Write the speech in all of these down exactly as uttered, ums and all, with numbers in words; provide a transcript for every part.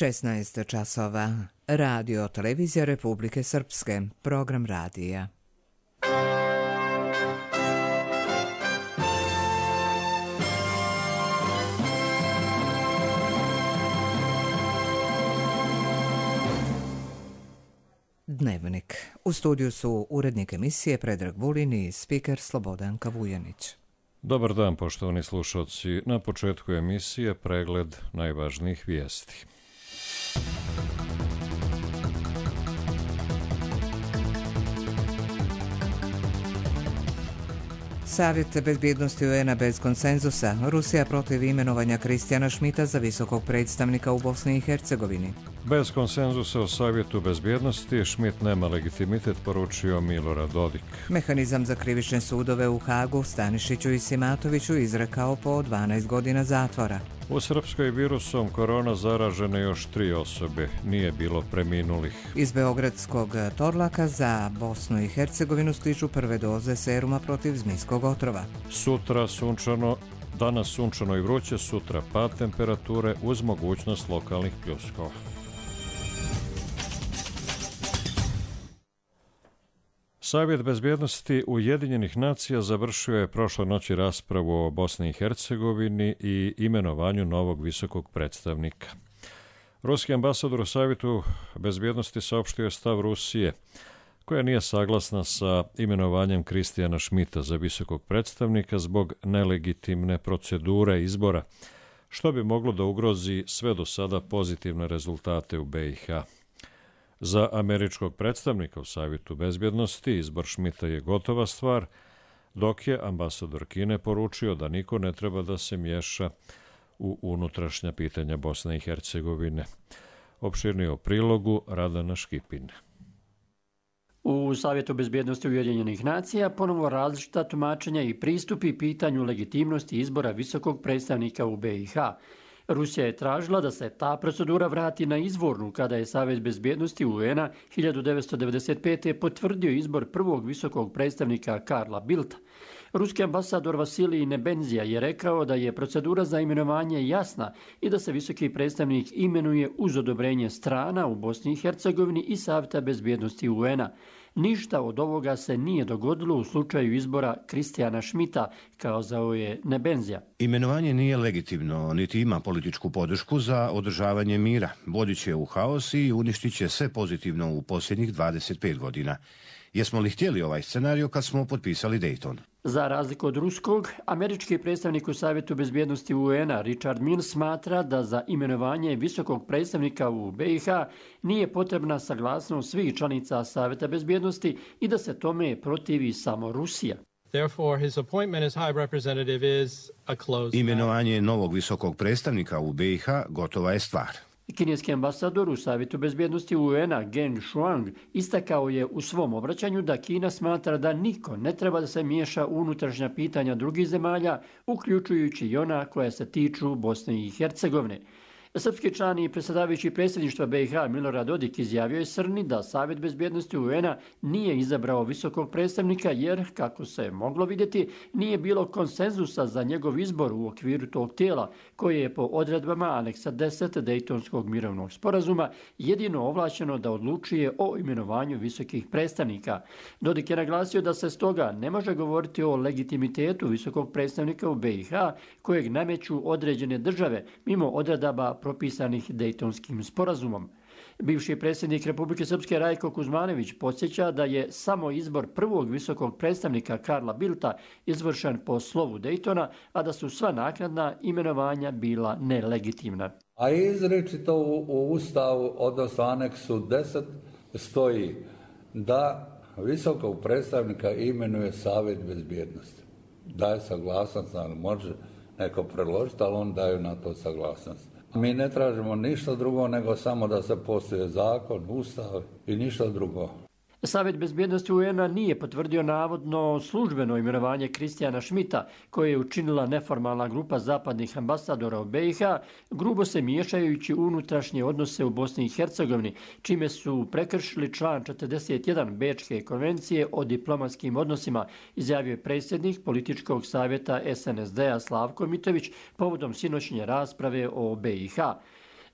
šesnaest časova. Radio Televizija Republike Srpske. Program radija. Dnevnik. U studiju su urednik emisije Predrag Vulin i spiker Slobodanka Vujanić. Dobar dan, poštovani slušalci. Na početku emisije pregled najvažnijih vijesti. Savjet bezbjednosti U N-a bez konsenzusa. Rusija protiv imenovanja Kristijana Šmita za visokog predstavnika u Bosni i Hercegovini. Bez konsenzusa o Savjetu bezbjednosti Šmit nema legitimitet, poručio Milorad Dodik. Mehanizam za krivične sudove u Hagu Stanišiću i Simatoviću izrekao po dvanaest godina zatvora. U Srpskoj virusom korona zaražene još tri osobe, nije bilo preminulih. Iz beogradskog Torlaka za Bosnu i Hercegovinu stižu prve doze seruma protiv zmijskog otrova. Sutra sunčano, danas sunčano i vruće, sutra pad temperature uz mogućnost lokalnih pljuskova. Savjet bezbjednosti Ujedinjenih nacija završio je prošle noći raspravu o Bosni i Hercegovini i imenovanju novog visokog predstavnika. Ruski ambasador u Savjetu bezbjednosti saopštio je stav Rusije, koja nije saglasna sa imenovanjem Kristijana Šmita za visokog predstavnika zbog nelegitimne procedure izbora, što bi moglo da ugrozi sve do sada pozitivne rezultate u B i H. Za američkog predstavnika u Savjetu bezbjednosti izbor Šmita je gotova stvar, dok je ambasador Kine poručio da niko ne treba da se miješa u unutrašnja pitanja Bosne i Hercegovine. Opširnije o prilogu Radana Škipin. U Savjetu bezbjednosti Ujedinjenih nacija ponovo različita tumačenja i pristupi pitanju legitimnosti izbora visokog predstavnika u B i H. Rusija je tražila da se ta procedura vrati na izvornu kada je Savjet bezbjednosti U N-a hiljadu devetsto devedeset pete. potvrdio izbor prvog visokog predstavnika Karla Bildta. Ruski ambasador Vasilij Nebenzija je rekao da je procedura za imenovanje jasna i da se visoki predstavnik imenuje uz odobrenje strana u Bosni i Hercegovini i Savjeta bezbjednosti U N-a. Ništa od ovoga se nije dogodilo u slučaju izbora Kristijana Šmita, kazao je Nebenzija. Imenovanje nije legitimno, niti ima političku podršku za održavanje mira. Vodit će u haos i uništit će sve pozitivno u posljednjih dvadeset pet godina. Jesmo li htjeli ovaj scenarij kad smo potpisali Dayton? Za razliku od ruskog, američki predstavnik u Savjetu bezbjednosti U N-a Richard Mills smatra da za imenovanje visokog predstavnika u B i H nije potrebna saglasnost svih članica Savjeta bezbjednosti i da se tome protivi samo Rusija. Imenovanje novog visokog predstavnika u B i H gotova je stvar. Kineski ambasador u Savjetu bezbjednosti U N-a Geng Shuang istakao je u svom obraćanju da Kina smatra da niko ne treba da se miješa u unutrašnja pitanja drugih zemalja, uključujući i ona koja se tiču Bosne i Hercegovine. Srpski član i predsjedavajući predsjedništva B i H Milorad Dodik izjavio je Srni da Savjet bezbjednosti U N-a nije izabrao visokog predstavnika jer, kako se moglo vidjeti, nije bilo konsenzusa za njegov izbor u okviru tog tijela, koje je po odredbama aneksa deset Dejtonskog mirovnog sporazuma jedino ovlašćeno da odlučuje o imenovanju visokih predstavnika. Dodik je naglasio da se stoga ne može govoriti o legitimitetu visokog predstavnika u B i H kojeg nameću određene države mimo odredaba propisanih Dejtonskim sporazumom. Bivši predsjednik Republike Srpske Rajko Kuzmanović podsjeća da je samo izbor prvog visokog predstavnika Karla Bildta izvršen po slovu Dejtona, a da su sva naknadna imenovanja bila nelegitimna. A izričito u, u Ustavu, odnosno aneksu deset, stoji da visokog predstavnika imenuje Savjet bezbjednosti. Daje saglasnost, može neko predložiti, ali on daje na to saglasnost. Mi ne tražimo ništa drugo nego samo da se poštuje zakon, ustav i ništa drugo. Savjet bezbjednosti U N-a nije potvrdio navodno službeno imenovanje Kristijana Šmita, koje je učinila neformalna grupa zapadnih ambasadora u B i H, grubo se miješajući u unutrašnje odnose u Bosni i Hercegovini, čime su prekršili član četrdeset jedan Bečke konvencije o diplomatskim odnosima, izjavio je predsjednik političkog savjeta S N S D-a Slavko Mitović povodom sinoćnje rasprave o B i H.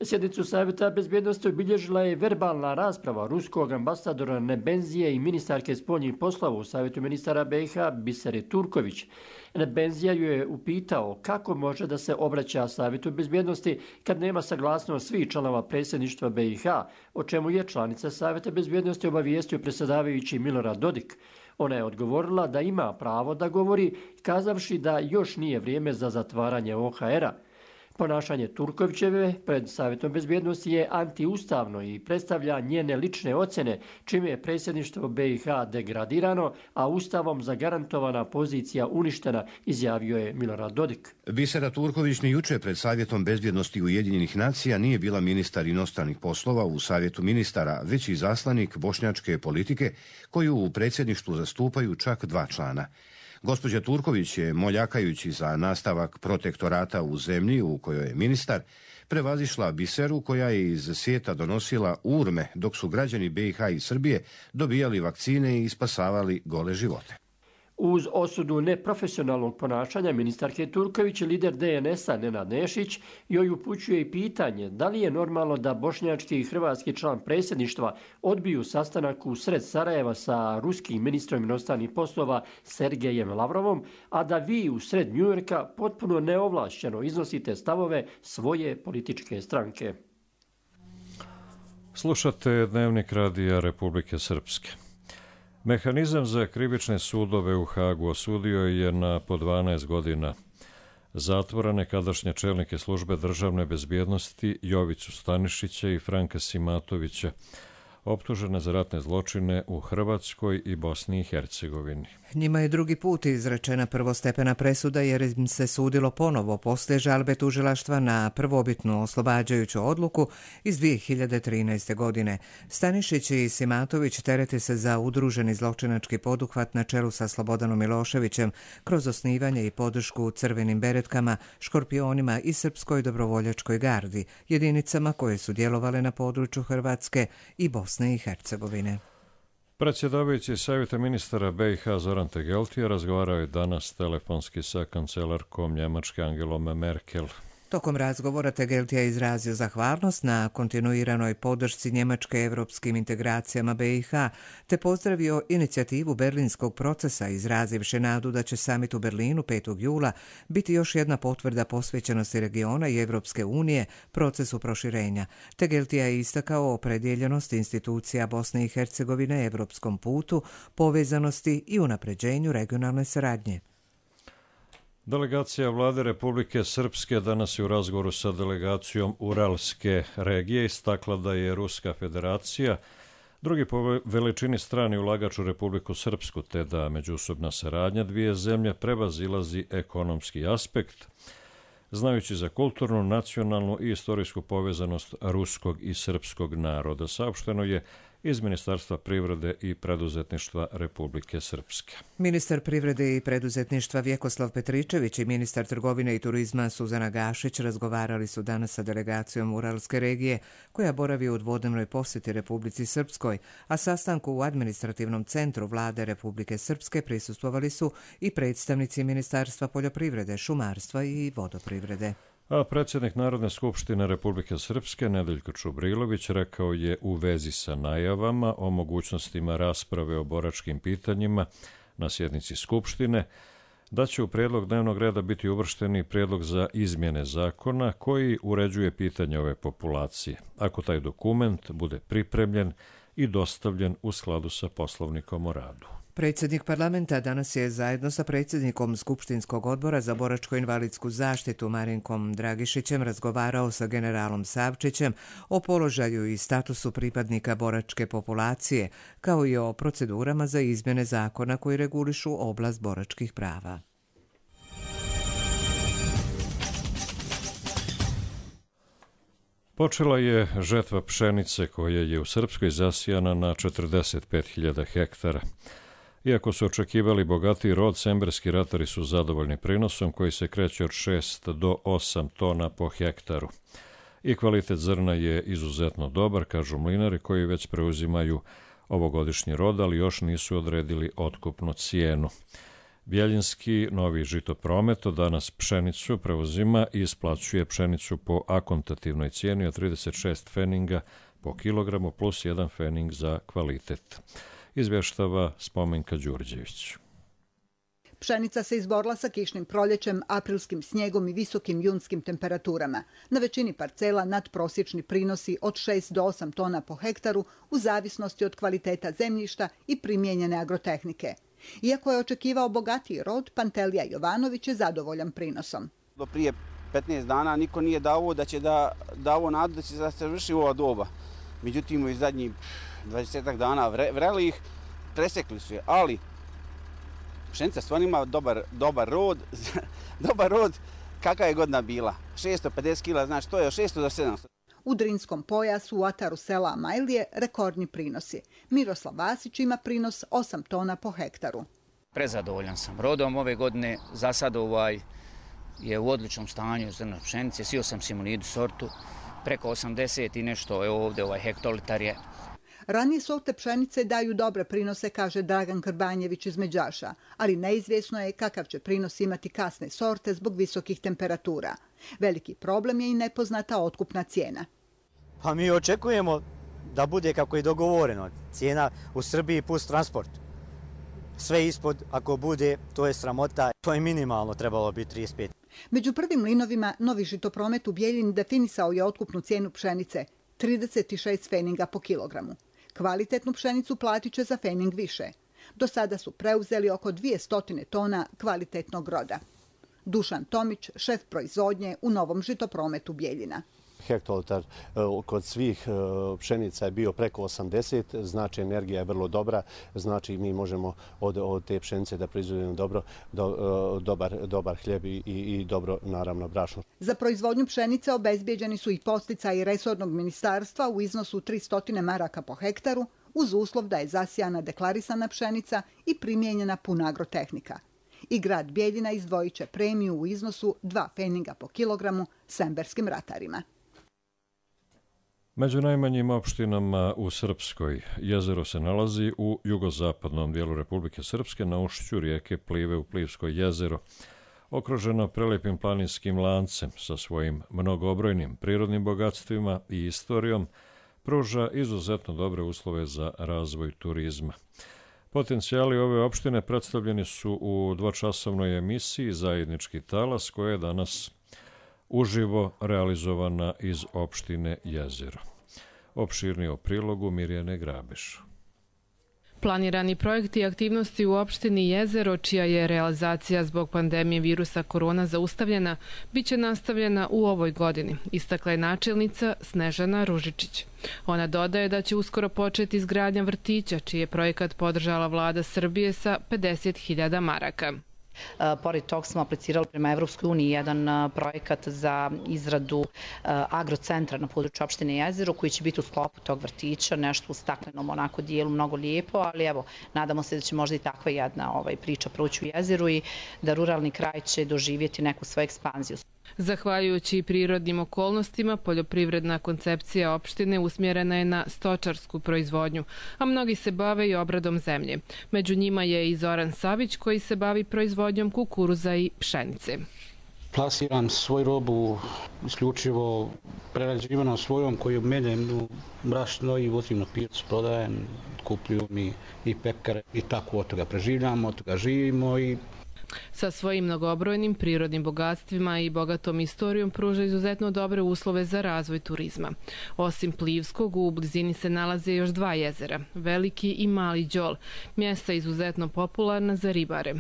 Sjednicu Savjeta bezbjednosti obilježila je verbalna rasprava ruskog ambasadora Nebenzije i ministarke spoljnih poslova u Savjetu ministara B i H Bisere Turković. Nebenzija ju je upitao kako može da se obraća Savjetu bezbjednosti kad nema saglasnost svih članova predsjedništva B i H, o čemu je članica Savjeta bezbjednosti obavijestio predsjedavajući Milorad Dodik. Ona je odgovorila da ima pravo da govori, kazavši da još nije vrijeme za zatvaranje O H R-a. Ponašanje Turkovićeve pred Savjetom bezbjednosti je antiustavno i predstavlja njene lične ocjene, čime je predsjedništvo B i H degradirano, a ustavom zagarantovana pozicija uništena, izjavio je Milorad Dodik. Bisera Turković ni juče pred Savjetom bezbjednosti Ujedinjenih nacija nije bila ministar inostranih poslova u Savjetu ministara, već i zaslanik bošnjačke politike, koju u predsjedništvu zastupaju čak dva člana. Gospođa Turković je, moljakajući za nastavak protektorata u zemlji u kojoj je ministar, prevazišla Biseru koja je iz svijeta donosila urme dok su građani B i H i Srbije dobijali vakcine i spasavali gole živote. Uz osudu neprofesionalnog ponašanja ministarke Turković, lider D N S-a Nenad Nešić joj upućuje i pitanje da li je normalno da bošnjački i hrvatski član predsjedništva odbiju sastanak u sred Sarajeva sa ruskim ministrom inostranih poslova Sergejem Lavrovom, a da vi u sred Njujorka potpuno neovlašćeno iznosite stavove svoje političke stranke. Slušate Dnevnik Radija Republike Srpske. Mehanizam za krivične sudove u Hagu osudio je na po dvanaest godina zatvora nekadašnje čelnike službe državne bezbjednosti Jovicu Stanišića i Franka Simatovića, optužene za ratne zločine u Hrvatskoj i Bosni i Hercegovini. Njima je drugi put izrečena prvostepena presuda jer im se sudilo ponovo poslije žalbe tužilaštva na prvobitnu oslobađajuću odluku iz dvije hiljade trinaeste. godine. Stanišić i Simatović terete se za udruženi zločinački poduhvat na čelu sa Slobodanom Miloševićem kroz osnivanje i podršku crvenim beretkama, škorpionima i Srpskoj dobrovoljačkoj gardi, jedinicama koje su djelovale na području Hrvatske i Bosne i Hercegovine. Predsjedavajući Savjeta ministara B i H Zoran Tegeltija razgovarao je danas telefonski sa kancelarkom Njemačke Angelom Merkel. Tokom razgovora Tegeltija je izrazio zahvalnost na kontinuiranoj podršci Njemačke evropskim integracijama B i H, te pozdravio inicijativu berlinskog procesa, izrazivši nadu da će samit u Berlinu petog jula biti još jedna potvrda posvećenosti regiona i Evropske unije procesu proširenja. Tegeltija je istakao opredjeljenost institucija Bosne i Hercegovine evropskom putu, povezanosti i unapređenju regionalne saradnje. Delegacija vlade Republike Srpske danas je u razgovoru sa delegacijom Uralske regije istakla da je Ruska federacija drugi po veličini strani ulagač u Republiku Srpsku, te da međusobna saradnja dvije zemlje prevazilazi ekonomski aspekt, znajući za kulturnu, nacionalnu i istorijsku povezanost ruskog i srpskog naroda. Saopšteno je iz Ministarstva privrede i preduzetništva Republike Srpske. Ministar privrede i preduzetništva Vjekoslav Petričević i ministar trgovine i turizma Suzana Gašić razgovarali su danas sa delegacijom Uralske regije, koja boravi u dvodnevnoj posjeti Republici Srpskoj, a sastanku u administrativnom centru vlade Republike Srpske prisustvovali su i predstavnici Ministarstva poljoprivrede, šumarstva i vodoprivrede. A predsjednik Narodne skupštine Republike Srpske Nedeljko Čubrilović rekao je u vezi sa najavama o mogućnostima rasprave o boračkim pitanjima na sjednici Skupštine da će u prijedlog dnevnog reda biti uvršteni prijedlog za izmjene zakona koji uređuje pitanje ove populacije, ako taj dokument bude pripremljen i dostavljen u skladu sa Poslovnikom o radu. Predsjednik parlamenta danas je zajedno sa predsjednikom Skupštinskog odbora za boračko-invalidsku zaštitu Marinkom Dragišićem razgovarao sa generalom Savčićem o položaju i statusu pripadnika boračke populacije, kao i o procedurama za izmjene zakona koji regulišu oblast boračkih prava. Počela je žetva pšenice koja je u Srpskoj zasijana na četrdeset pet hiljada hektara. Iako su očekivali bogatiji rod, semberski ratari su zadovoljni prinosom koji se kreće od šest do osam tona po hektaru. I kvalitet zrna je izuzetno dobar, kažu mlinari koji već preuzimaju ovogodišnji rod, ali još nisu odredili otkupnu cijenu. Bjeljinski novi žitopromet od danas pšenicu preuzima i isplaćuje pšenicu po akontativnoj cijeni od trideset šest feninga po kilogramu plus jedan fening za kvalitet. Izvještava Spomenka Đurđević. Pšenica se izborila sa kišnim proljećem, aprilskim snijegom i visokim junskim temperaturama. Na većini parcela nadprosječni prinosi od šest do osam tona po hektaru u zavisnosti od kvaliteta zemljišta i primijenjene agrotehnike. Iako je očekivao bogatiji rod, Pantelija Jovanović je zadovoljan prinosom. Do prije petnaest dana niko nije dao da će da dao nadu da će da se vrši ova doba. Međutim, u zadnjih dvadesetak dana vreli ih, presekli su je, ali pšenica stvarno ima dobar, dobar rod, dobar rod kakva je godina bila. šesto pedeset kila, znači to je od šesto do sedamsto. U Drinskom pojasu u ataru sela Amajlije rekordni prinosi. Miroslav Vasić ima prinos osam tona po hektaru. Prezadovoljan sam rodom ove godine. Za sad ovaj je u odličnom stanju zrno pšenice. Sio sam Simonidu sortu, preko osamdeset i nešto, evo ovdje ovaj hektolitar je. Ranije sorte pšenice daju dobre prinose, kaže Dragan Krbanjević iz Međaša, ali neizvjesno je kakav će prinos imati kasne sorte zbog visokih temperatura. Veliki problem je i nepoznata otkupna cijena. Pa mi očekujemo da bude kako je dogovoreno. Cijena u Srbiji plus transport. Sve ispod, ako bude, to je sramota. To je minimalno trebalo biti trideset pet. Među prvim linovima novi žitopromet u Bijeljini definisao je otkupnu cijenu pšenice trideset šest feninga po kilogramu. Kvalitetnu pšenicu platit će za fening više. Do sada su preuzeli oko dvjesto tona kvalitetnog roda. Dušan Tomić, šef proizvodnje u novom žitoprometu Bijeljina. Hektolitar kod svih pšenica je bio preko osamdeset, znači energija je vrlo dobra, znači mi možemo od, od te pšenice da proizvodimo dobro, do, dobar, dobar hljeb i, i dobro, naravno, brašno. Za proizvodnju pšenice obezbijeđeni su i podsticaji resornog ministarstva u iznosu tristo maraka po hektaru, uz uslov da je zasijana deklarisana pšenica i primijenjena puna agrotehnika. I grad Bijeljina izdvojit će premiju u iznosu dva feninga po kilogramu semberskim ratarima. Među najmanjim opštinama u Srpskoj jezero se nalazi u jugozapadnom dijelu Republike Srpske na ušću rijeke Plive u Plivsko jezero, okruženo prelepim planinskim lancem sa svojim mnogobrojnim prirodnim bogatstvima i istorijom, pruža izuzetno dobre uslove za razvoj turizma. Potencijali ove opštine predstavljeni su u dvočasovnoj emisiji Zajednički talas, koja je danas uživo realizovana iz opštine Jezero. Opširnije o prilogu Mirjane Grabeš. Planirani projekti i aktivnosti u opštini Jezero, čija je realizacija zbog pandemije virusa korona zaustavljena, bit će nastavljena u ovoj godini, istakla je načelnica Snežana Ružičić. Ona dodaje da će uskoro početi izgradnja vrtića, čiji je projekat podržala vlada Srbije sa pedeset hiljada maraka. Pored tog smo aplicirali prema Evropskoj uniji jedan projekat za izradu agrocentra na području opštine Jezero, koji će biti u sklopu tog vrtića, nešto u staklenom onako dijelu, mnogo lijepo, ali evo, nadamo se da će možda i takva jedna ovaj, priča proći u Jezeru i da ruralni kraj će doživjeti neku svoju ekspanziju. Zahvaljujući prirodnim okolnostima, poljoprivredna koncepcija opštine usmjerena je na stočarsku proizvodnju, a mnogi se bave i obradom zemlje. Među njima je i Zoran Savić, koji se bavi proizvodnjom kukuruza i pšenice. Plasiram svoju robu isključivo prerađivano svojom koju meljem u brašno i vozim na pijacu, prodajem, kupljuju mi i pekare i tako od toga preživljamo, od toga živimo i sa svojim mnogobrojnim prirodnim bogatstvima i bogatom istorijom pruža izuzetno dobre uslove za razvoj turizma. Osim Plivskog, u blizini se nalaze još dva jezera, Veliki i Mali Đol, mjesta izuzetno popularna za ribare.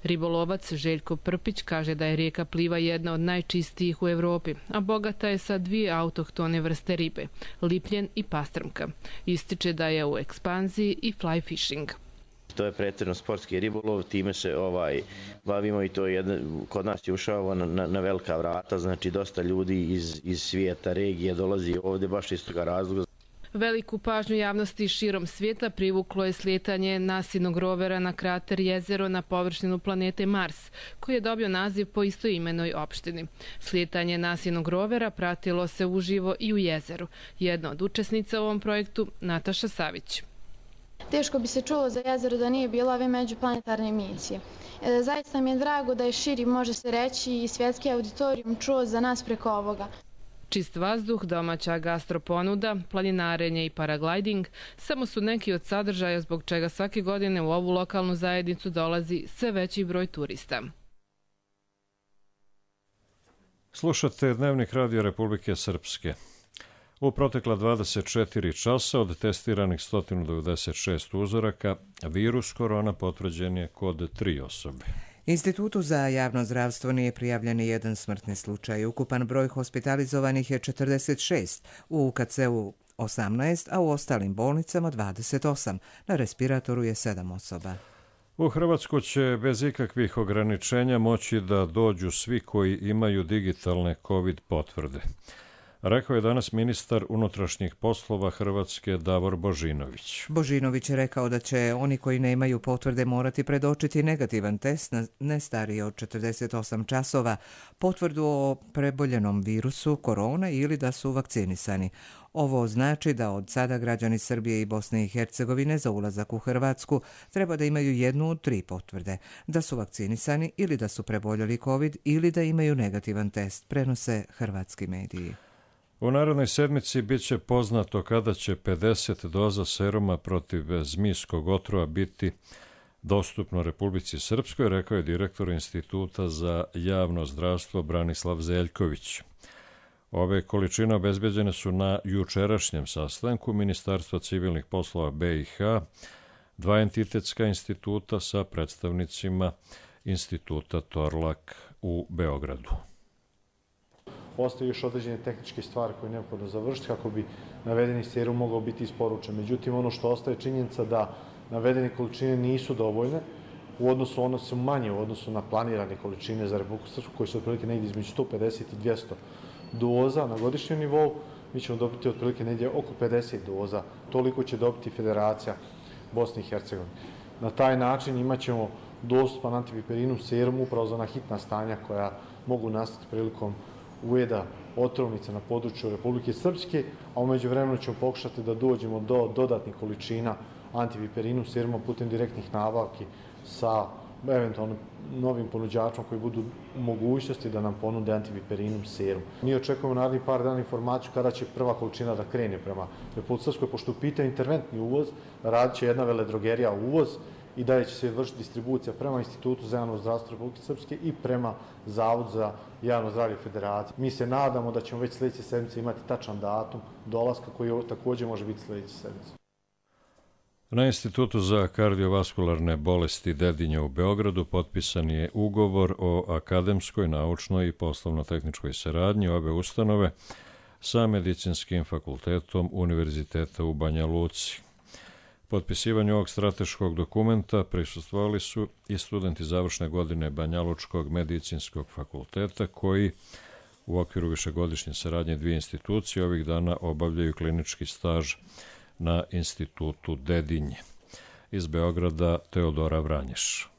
Ribolovac Željko Prpić kaže da je rijeka Pliva jedna od najčistijih u Evropi, a bogata je sa dvije autohtone vrste ribe, lipljen i pastrmka. Ističe da je u ekspanziji i fly fishing. To je pretjerno sportski ribolov, time se ovaj bavimo i to je jedna, kod nas je ušao na, na, na velika vrata, znači dosta ljudi iz, iz svijeta, regije dolazi ovdje baš iz toga razloga. Veliku pažnju javnosti širom svijeta privuklo je slijetanje NASInog rovera na krater Jezero na površinu planete Mars, koji je dobio naziv po istoimenoj opštini. Slijetanje NASInog rovera pratilo se uživo i u Jezeru. Jedna od učesnica u ovom projektu, Nataša Savić. Teško bi se čulo za jezero da nije bilo ove međuplanetarne misije. Zaista mi je drago da je širi, može se reći, i svjetski auditorijum čuo za nas preko ovoga. Čist vazduh, domaća gastroponuda, planinarenje i paragliding samo su neki od sadržaja zbog čega svake godine u ovu lokalnu zajednicu dolazi sve veći broj turista. Slušate Dnevnik radija Republike Srpske. U protekla dvadeset četiri časa od testiranih sto devedeset šest uzoraka, virus korona potvrđen je kod tri osobe. Institutu za javno zdravstvo nije prijavljen jedan smrtni slučaj. Ukupan broj hospitalizovanih je četrdeset šest, u U K C-u osamnaest, a u ostalim bolnicama dvadeset osam. Na respiratoru je sedam osoba. U Hrvatsku će bez ikakvih ograničenja moći da dođu svi koji imaju digitalne COVID potvrde. Rekao je danas ministar unutrašnjih poslova Hrvatske Davor Božinović. Božinović je rekao da će oni koji nemaju potvrde morati predočiti negativan test na ne stariji od četrdeset osam časova, potvrdu o preboljenom virusu korona ili da su vakcinisani. Ovo znači da od sada građani Srbije i Bosne i Hercegovine za ulazak u Hrvatsku treba da imaju jednu od tri potvrde, da su vakcinisani ili da su preboljeli COVID ili da imaju negativan test, prenose hrvatski mediji. U narednoj sedmici bit će poznato kada će pedeset doza seruma protiv zmijskog otrova biti dostupno Republici Srpskoj, rekao je direktor Instituta za javno zdravstvo Branislav Zeljković. Ove količine obezbeđene su na jučerašnjem sastanku Ministarstva civilnih poslova B i H, dva entitetska instituta sa predstavnicima Instituta Torlak u Beogradu. Postoje još određene tehničke stvari koje je neophodno završiti kako bi navedeni serum mogao biti isporučen. Međutim, ono što ostaje činjenica da navedene količine nisu dovoljne, u odnosu, ono su manje u odnosu na planirane količine za Republiku Srpsku, koji su otprilike negdje između sto pedeset i dvjesto doza na godišnjem nivou. Mi ćemo dobiti otprilike negdje oko pedeset doza. Toliko će dobiti Federacija Bosne i Hercegovine. Na taj način imat ćemo dostupan antiviperinum serum upravo za ona hitna stanja koja mogu nastati prilikom ujeda otrovnica na području Republike Srpske, a u međuvremenu ćemo pokušati da dođemo do dodatnih količina antiviperinum seruma putem direktnih nabavki sa eventualno novim ponuđačima koji budu u mogućnosti da nam ponude antiviperinum serum. Mi očekujemo narednih par dana informaciju kada će prva količina da krene prema Republike Srpskoj, pošto u pitanju interventni uvoz, radit će jedna veledrogerija uvoz i dalje će se vršiti distribucija prema Institutu za javno zdravstvo Republike Srpske i prema Zavodu za javno zdravlje Federacije. Mi se nadamo da ćemo već sljedeće sedmice imati tačan datum dolaska koji također može biti sljedeće sedmice. Na Institutu za kardiovaskularne bolesti Dedinje u Beogradu potpisan je ugovor o akademskoj, naučnoj i poslovno-tehničkoj saradnji obe ustanove sa Medicinskim fakultetom Univerziteta u Banja Luci. Potpisivanju ovog strateškog dokumenta prisustvovali su i studenti završne godine Banjalučkog medicinskog fakulteta koji u okviru višegodišnje saradnje dvije institucije ovih dana obavljaju klinički staž na Institutu Dedinje. Iz Beograda Teodora Vranješ.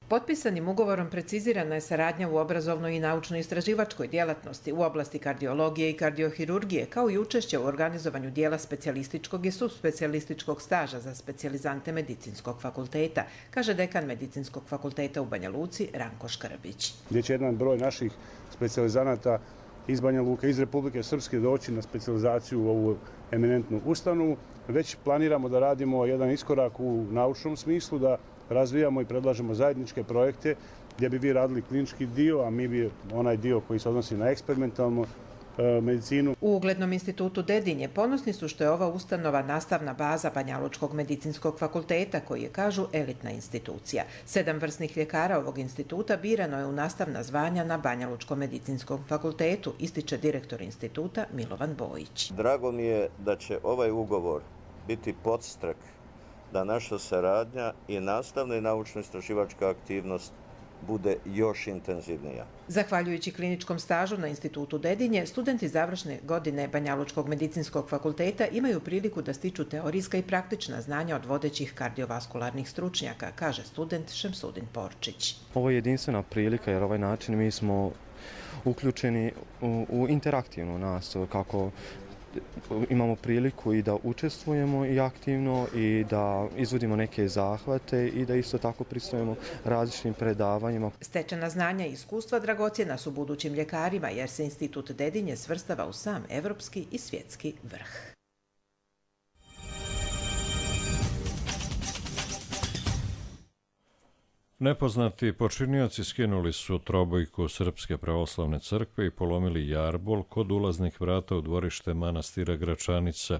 Potpisanim ugovorom precizirana je saradnja u obrazovnoj i naučno-istraživačkoj djelatnosti u oblasti kardiologije i kardiohirurgije, kao i učešće u organizovanju dijela specijalističkog i subspecijalističkog staža za specijalizante Medicinskog fakulteta, kaže dekan Medicinskog fakulteta u Banja Luci Ranko Škrbić. Gdje će jedan broj naših specijalizanata iz Banja Luka, iz Republike Srpske doći na specijalizaciju u ovu eminentnu ustanovu. Već planiramo da radimo jedan iskorak u naučnom smislu, da razvijamo i predlažemo zajedničke projekte gdje bi vi radili klinički dio, a mi bi onaj dio koji se odnosi na eksperimentalnu e, medicinu. U uglednom institutu Dedinje ponosni su što je ova ustanova nastavna baza Banjalučkog medicinskog fakulteta, koji je, kažu, elitna institucija. Sedam vrsnih ljekara ovog instituta birano je u nastavna zvanja na Banjalučkom medicinskom fakultetu, ističe direktor instituta Milovan Bojić. Drago mi je da će ovaj ugovor biti podstrek da naša saradnja i nastavna i naučno-istraživačka aktivnost bude još intenzivnija. Zahvaljujući kliničkom stažu na Institutu Dedinje, studenti završne godine Banjalučkog medicinskog fakulteta imaju priliku da stiču teorijska i praktična znanja od vodećih kardiovaskularnih stručnjaka, kaže student Šemsudin Porčić. Ovo je jedinstvena prilika jer ovaj način mi smo uključeni u, u interaktivnu nastavu, kako imamo priliku i da učestvujemo i aktivno i da izvodimo neke zahvate i da isto tako pristupujemo različitim predavanjima. Stečena znanja i iskustva dragocjena su budućim ljekarima jer se Institut Dedinje svrstava u sam evropski i svjetski vrh. Nepoznati počinioci skinuli su trobojku Srpske pravoslavne crkve i polomili jarbol kod ulaznih vrata u dvorište manastira Gračanica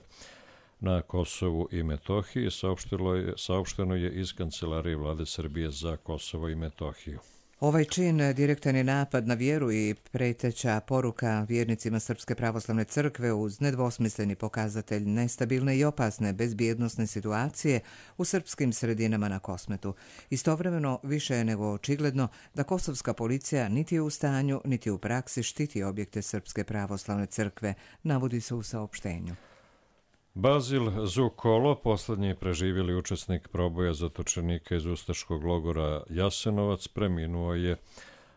na Kosovu i Metohiji, saopšteno je iz Kancelarije Vlade Srbije za Kosovo i Metohiju. Ovaj čin direktan je napad na vjeru i preteća poruka vjernicima Srpske pravoslavne crkve uz nedvosmisleni pokazatelj nestabilne i opasne bezbjednosne situacije u srpskim sredinama na Kosmetu. Istovremeno više je nego očigledno da kosovska policija niti je u stanju, niti u praksi štiti objekte Srpske pravoslavne crkve, navodi se u saopštenju. Bazil Zukolo, poslednji preživjeli učesnik proboja zatočenika iz ustaškog logora Jasenovac, preminuo je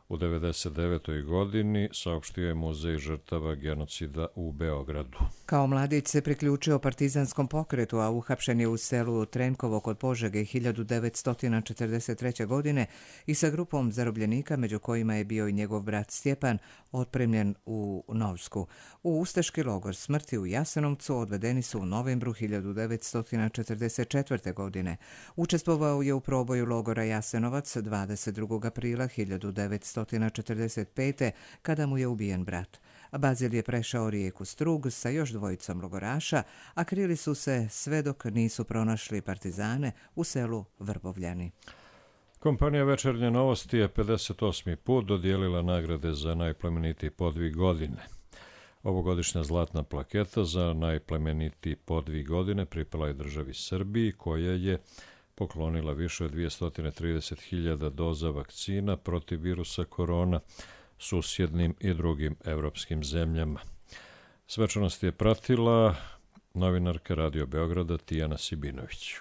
u devedeset devetoj godini, saopštio je Muzej žrtava genocida u Beogradu. Kao mladić se priključio partizanskom pokretu, a uhapšen je u selu Trenkovo kod Požege hiljadu devetsto četrdeset treće. godine i sa grupom zarobljenika, među kojima je bio i njegov brat Stjepan, otpremljen u Novsku. U ustaški logor smrti u Jasenovcu odvedeni su u novembru hiljadu devetsto četrdeset četvrte. godine. Učestvovao je u proboju logora Jasenovac dvadeset drugog aprila hiljadu devetsto četrdeset pete. kada mu je ubijen brat. Bazil je prešao rijeku Strug sa još dvojicom logoraša, a krili su se sve dok nisu pronašli partizane u selu Vrbovljani. Kompanija Večernje novosti je pedeset osmi put dodijelila nagrade za najplemenitiji podvig godine. Ovogodišnja zlatna plaketa za najplemenitiji podvig godine pripala je državi Srbiji, koja je poklonila više od dvjesto trideset hiljada doza vakcina protiv virusa korona susjednim i drugim evropskim zemljama. Svečanost je pratila novinarka Radio Beograda Tijana Sibinović.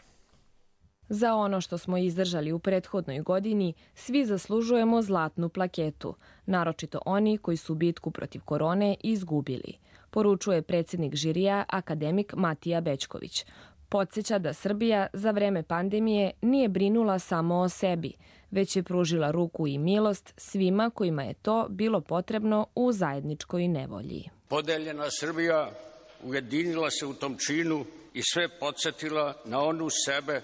Za ono što smo izdržali u prethodnoj godini, svi zaslužujemo zlatnu plaketu, naročito oni koji su bitku protiv korone izgubili, poručuje predsjednik žirija akademik Matija Bećković. Podsjeća da Srbija za vreme pandemije nije brinula samo o sebi, već je pružila ruku i milost svima kojima je to bilo potrebno u zajedničkoj nevolji. Podeljena Srbija ujedinila se u tom činu i sve podsjetila na onu sebe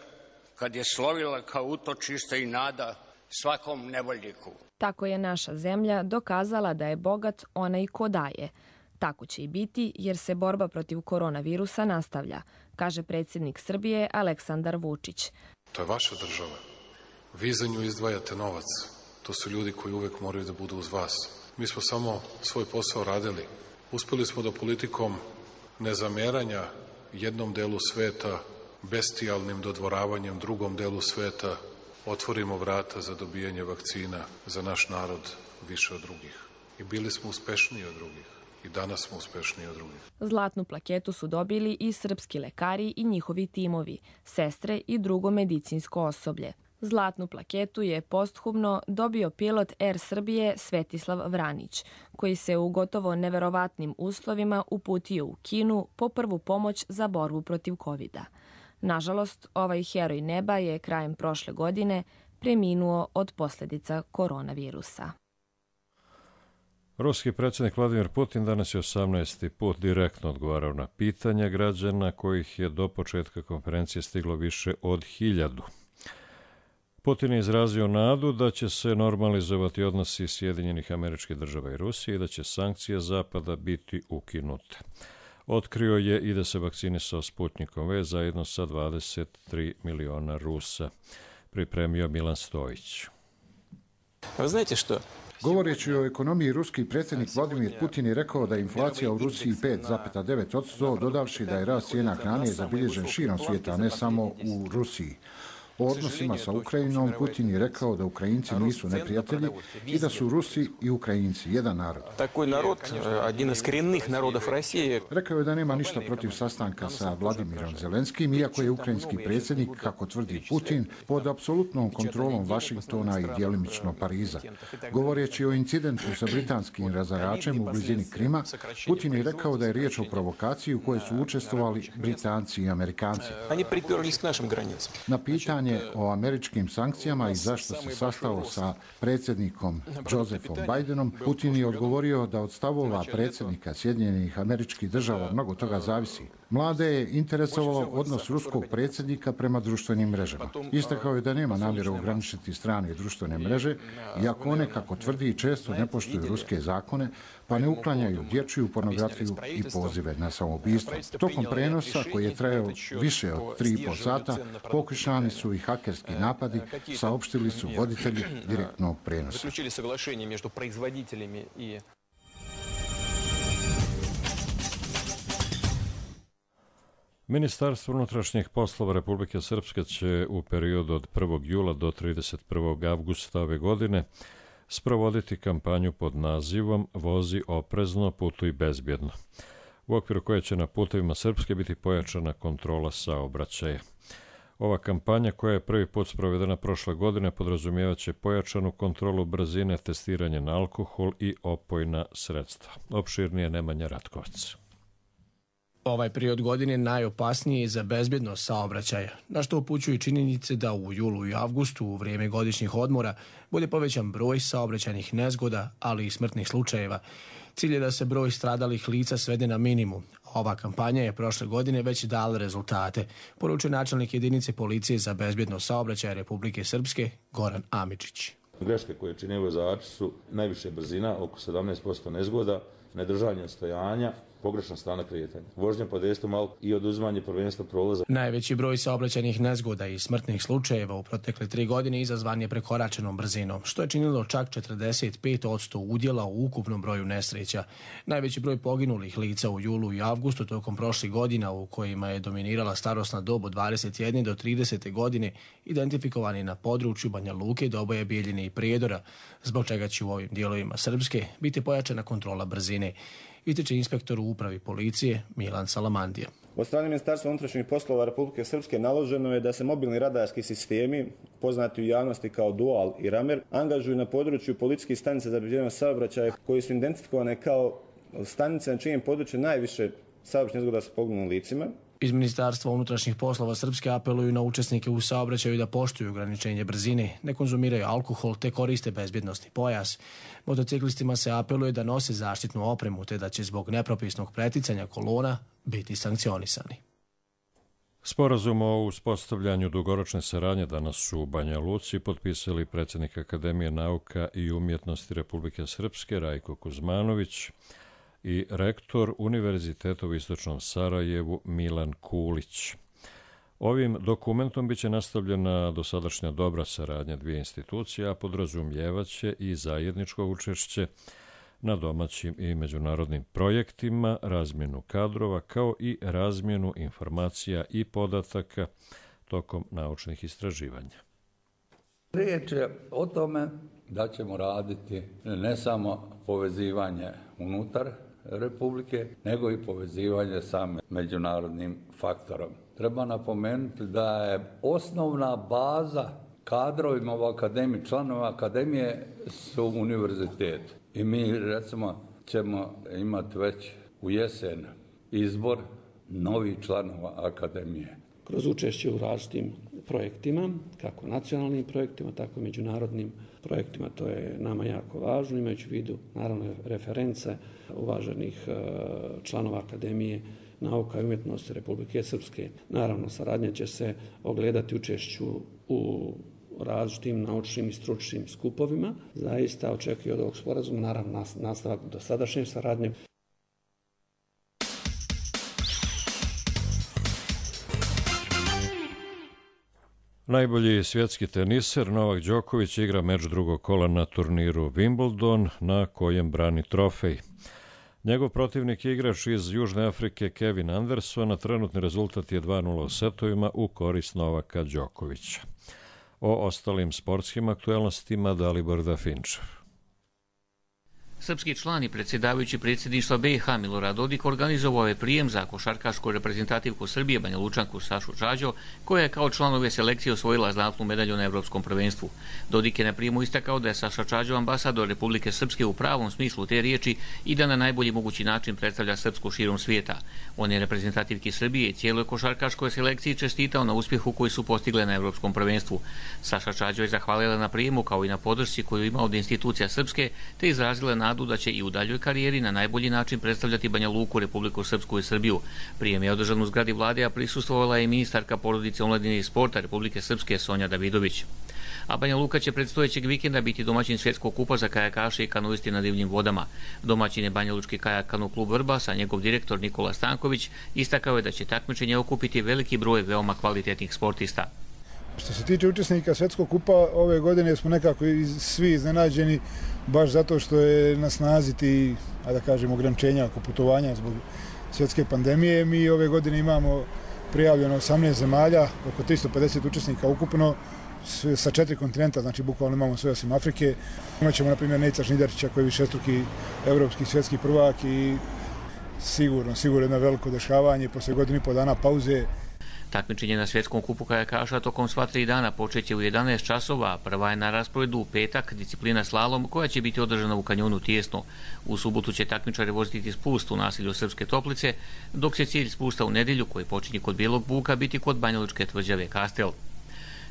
kad je slovila kao utočište i nada svakom nevoljniku. Tako je naša zemlja dokazala da je bogat onaj ko daje. Tako će i biti jer se borba protiv koronavirusa nastavlja, kaže predsjednik Srbije Aleksandar Vučić. To je vaša država. Vi za nju izdvajate novac. To su ljudi koji uvek moraju da budu uz vas. Mi smo samo svoj posao radili. Uspeli smo da politikom nezameranja jednom delu sveta, bestijalnim dodvoravanjem drugom delu sveta, otvorimo vrata za dobijanje vakcina za naš narod više od drugih. I bili smo uspešniji od drugih. I danas smo uspešniji od drugih. Zlatnu plaketu su dobili i srpski lekari i njihovi timovi, sestre i drugo medicinsko osoblje. Zlatnu plaketu je posthumno dobio pilot Er Srbije Svetislav Vranić, koji se u gotovo neverovatnim uslovima uputio u Kinu po prvu pomoć za borbu protiv kovida. Nažalost, ovaj heroj neba je krajem prošle godine preminuo od posljedica koronavirusa. Ruski predsjednik Vladimir Putin danas je osamnaesti put direktno odgovarao na pitanja građana, kojih je do početka konferencije stiglo više od hiljadu. Putin je izrazio nadu da će se normalizovati odnosi Sjedinjenih Američkih Država i Rusije i da će sankcije Zapada biti ukinute. Otkrio je i da se vakcinisao Sputnikom V zajedno sa dvadeset tri miliona Rusa. Pripremio Milan Stojić. Vi znate što? Govoreći o ekonomiji, ruski predsjednik Vladimir Putin je rekao da je inflacija u Rusiji pet zarez devet posto, dodavši da je rast cijena hrane zabilježen širom svijeta, ne samo u Rusiji. O odnosima sa Ukrajinom Putin je rekao da Ukrajinci nisu neprijatelji i da su Rusi i Ukrajinci jedan narod. Такой народ, один из коренных народов России. Rekao je da nema ništa protiv sastanka sa Vladimirom Zelenskim, iako je ukrajinski predsjednik, kako tvrdi Putin, pod apsolutnom kontrolom Vašingtona i djelimično Pariza. Govoreći o incidentu sa britanskim razaračem u blizini Krima, Putin je rekao da je riječ o provokaciji u kojoj su učestvovali Britanci i Amerikanci. Na pitanje o američkim sankcijama i zašto se sastao sa predsjednikom Josephom Bidenom, Putin je odgovorio da od stavova predsjednika Sjedinjenih Američkih Država mnogo toga zavisi. Mlade je interesovalo odnos ruskog predsjednika prema društvenim mrežama. Istakao je da nema namjeru ograničiti strane društvene mreže, iako one, kako tvrdi, često ne poštuju ruske zakone, pa ne uklanjaju dječju pornografiju i pozive na samoubistvo. Tokom prenosa, koji je trajao više od tri i pol sata, pokušani su i hakerski napadi, saopštili su voditelji direktnog prenosa. Ministarstvo unutrašnjih poslova Republike Srpske će u periodu od prvog jula do trideset prvog avgusta ove godine sprovoditi kampanju pod nazivom Vozi oprezno, putuj bezbjedno, u okviru koje će na putevima Srpske biti pojačana kontrola saobraćaja. Ova kampanja, koja je prvi put sprovedena prošle godine, podrazumijevaće pojačanu kontrolu brzine, testiranje na alkohol i opojna sredstva. Opširnije Nemanja Ratkovac. Ovaj period godine najopasniji je za bezbjednost saobraćaja, na što upućuju činjenice da u julu i avgustu, u vrijeme godišnjih odmora, bude povećan broj saobraćajnih nezgoda, ali i smrtnih slučajeva. Cilj je da se broj stradalih lica svede na minimum. Ova kampanja je prošle godine već dala rezultate, poručuje načelnik jedinice policije za bezbjednost saobraćaja Republike Srpske, Goran Amidžić. Greške koje čine vozači su najviše brzina, oko sedamnaest posto nezgoda, nedržanje stojanja, pogrešna strana kretanja, vožnja pod dejstvom alkohola i oduzimanje prvenstva prolaza. Najveći broj saobraćajnih nezgoda i smrtnih slučajeva u protekle tri godine izazvan je prekoračenom brzinom, što je činilo čak četrdeset pet posto udjela u ukupnom broju nesreća. Najveći broj poginulih lica u julu i avgustu tokom prošlih godina, u kojima je dominirala starosna dob od dvadeset jedne do trideset godine, identifikovani na području Banja Luke, Doboje, Bijeljine i Prijedora, zbog čega će u ovim dijelovima Srpske biti pojačana kontrola brzine, ističe inspektor u upravi policije Milan Salamandija. Od strane Ministarstva unutrašnjih poslova Republike Srpske naloženo je da se mobilni radarski sistemi, poznati u javnosti kao Dual i Ramer, angažuju na području policijskih stanica za bezbjednost saobraćaja, koji su identifikovane kao stanice na čijem području najviše saobraćajnih nezgoda sa poginulim licima. Iz Ministarstva unutrašnjih poslova Srpske apeluju na učesnike u saobraćaju da poštuju ograničenje brzine, ne konzumiraju alkohol te koriste bezbjednosni pojas. Motociklistima se apeluje da nose zaštitnu opremu te da će zbog nepropisnog preticanja kolona biti sankcionisani. Sporazum o uspostavljanju dugoročne saradnje danas su u Banja Luci potpisali predsjednik Akademije nauka i umjetnosti Republike Srpske Rajko Kuzmanović i rektor Univerziteta u Istočnom Sarajevu Milan Kulić. Ovim dokumentom biće nastavljena dosadašnja dobra saradnja dvije institucije, a podrazumijevaće i zajedničko učešće na domaćim i međunarodnim projektima, razmjenu kadrova, kao i razmjenu informacija i podataka tokom naučnih istraživanja. Riječ je o tome da ćemo raditi ne samo povezivanje unutar Republike, nego i povezivanje sa međunarodnim faktorom. Treba napomenuti da je osnovna baza kadrovima u akademiji, članova akademije su univerziteti. I mi, recimo, ćemo imati već u jesen izbor novih članova akademije. Kroz učešće u različitim projektima, kako nacionalnim projektima, tako i međunarodnim projektima, to je nama jako važno, imajući u vidu, naravno, reference uvaženih članova Akademije nauka i umjetnosti Republike Srpske. Naravno, saradnja će se ogledati učešću u različitim naučnim i stručnim skupovima. Zaista očekuju od ovog sporazuma, naravno, nastavak dosadašnje saradnje. Najbolji svjetski teniser Novak Đoković igra meč drugog kola na turniru Wimbledon, na kojem brani trofej. Njegov protivnik je igrač iz Južne Afrike Kevin Anderson, a trenutni rezultat je dva nula u setovima u korist Novaka Đokovića. O ostalim sportskim aktuelnostima Dalibor Dafinčev. Srpski član i predsjedavajući predsjedništva B i H Milorad Dodik organizovao je prijem za košarkašku reprezentativku Srbije Banja Lučanku Sašu Čađo, koja je kao član ove selekcije osvojila zlatnu medalju na Evropskom prvenstvu. Dodik je na prijemu istakao da je Saša Čađo ambasador Republike Srpske u pravom smislu te riječi i da na najbolji mogući način predstavlja Srpsku širom svijeta. On je reprezentativki Srbije i cijeloj košarkaškoj selekciji čestitao na uspjehu koji su postigle na Evropskom prvenstvu. Saša Čađo je zahvalila na prijemu kao i na podršci koju ima od institucija Srpske, te izrazila nadu da će i u daljoj karijeri na najbolji način predstavljati Banja Luku, Republiku Srpsku i Srbiju. Prijem je održan u zgradi vlade, a prisustvovala je i ministarka porodice, omladine i sporta Republike Srpske Sonja Davidović. A Banja Luka će predstojećeg vikenda biti domaćin svjetskog kupa za kajakaše i kanuisti na divljim vodama. Domaćin je Banja Lučki kajak kanu klub Vrbas, a njegov direktor Nikola Stanković istakao je da će takmičenje okupiti veliki broj veoma kvalitetnih sportista. Što se tiče učesnika svjetskog kupa, ove godine smo nekako svi iznenađeni, baš zato što je na snazi ti, a da kažem, ograničenja oko putovanja zbog svjetske pandemije. Mi ove godine imamo prijavljeno osamnaest zemalja, oko tristo pedeset učesnika ukupno, sa četiri kontinenta, znači bukvalno imamo sve osim Afrike. Imaćemo, na primjer, Nejca Žnidarića koji je višestruki evropski svjetski prvak i sigurno, sigurno jedno veliko dešavanje posle godinu i po dana pauze. Takmičenje na svjetskom kupu kajakaša tokom sva tri dana počeće u jedanaest časova, prva je na rasporedu u petak, disciplina slalom, koja će biti održana u kanjonu Tijesno. U subotu će takmičari voziti spust u naselju Srpske Toplice, dok će cilj spusta u nedjelju, koji počinje kod Bijelog Buka, biti kod Banjalučke tvrđave Kastel.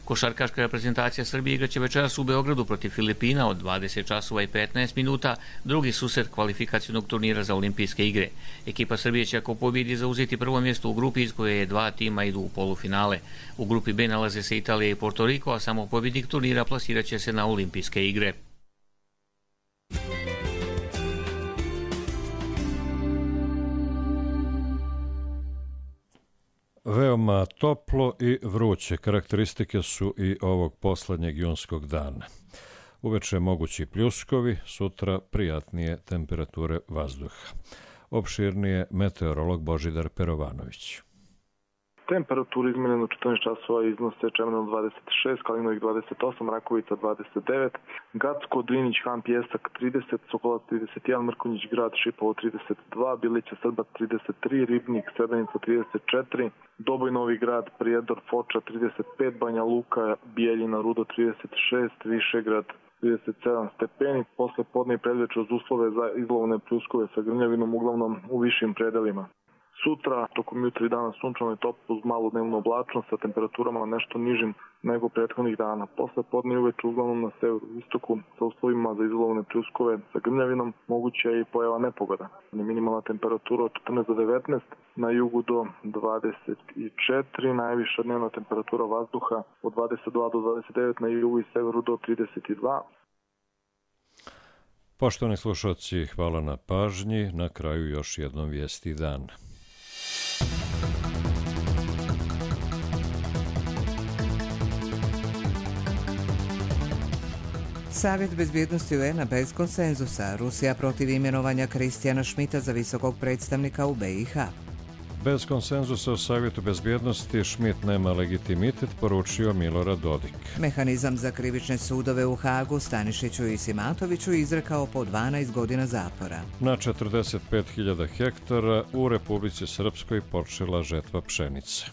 Košarkaška reprezentacija Srbije igraće večeras u Beogradu protiv Filipina od dvadeset časova i petnaest minuta, drugi susret kvalifikacionog turnira za olimpijske igre. Ekipa Srbije će ako pobjedi zauzeti prvo mjesto u grupi iz koje je dva tima idu u polufinale. U grupi B nalaze se Italija i Porto Riko, a samo pobjednik turnira plasirat će se na olimpijske igre. Veoma toplo i vruće karakteristike su i ovog posljednjeg junskog dana. Uveče mogući pljuskovi, sutra prijatnije temperature vazduha. Opširnije meteorolog Božidar Perovanović. Temperature izmjerene u četrnaest časova iznose Čemerno dvadeset šest, Kalinovik dvadeset osam, Rakovica dvadeset devet, Gacko, Drinić, Han, Pjesak trideset, Sokolac trideset jedan, Mrkonjić Grad, Šipovo trideset dva, Bilića, Srbac trideset tri, Ribnik, Srebrenica trideset četiri, Doboj, Novi Grad, Prijedor, Foča trideset pet, Banja Luka, Bijeljina, Rudo trideset šest, Višegrad trideset sedam stepeni. Posle podne i predveče uz uslove za izlovne pljuskove sa grmljavinom, uglavnom u višim predelima. Sutra, tokom jutra i dana sunčano i toplo uz malu dnevnu oblačnost sa temperaturama nešto nižim nego prethodnih dana. Posle podne i uveče uglavnom na severu istoku sa uslovima za izlovne pljuskove sa grmljavinom moguća je i pojava nepogoda. Minimalna temperatura od četrnaest do devetnaest, na jugu do dvadeset četiri, najviša dnevna temperatura vazduha od dvadeset dva do dvadeset devet, na jugu i severu do trideset dva. Poštovani slušalci, hvala na pažnji. Na kraju još jednom vijesti dana. Savjet bezbjednosti U N-a bez konsenzusa. Rusija protiv imenovanja Kristijana Šmita za visokog predstavnika u B i H. Bez konsenzusa u Savjetu bezbjednosti Šmit nema legitimitet, poručio Milorad Dodik. Mehanizam za krivične sudove u Hagu Stanišiću i Simatoviću izrekao po dvanaest godina zatvora. Na četrdeset pet hiljada hektara u Republici Srpskoj počela žetva pšenice.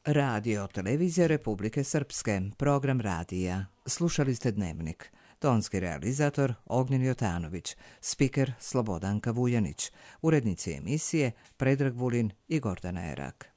Radio Televizija Republike Srpske, program radija. Slušali ste Dnevnik. Tonski realizator Ognjen Jotanović, spiker Slobodanka Vuljanić, urednici emisije Predrag Vulin i Gordana Erak.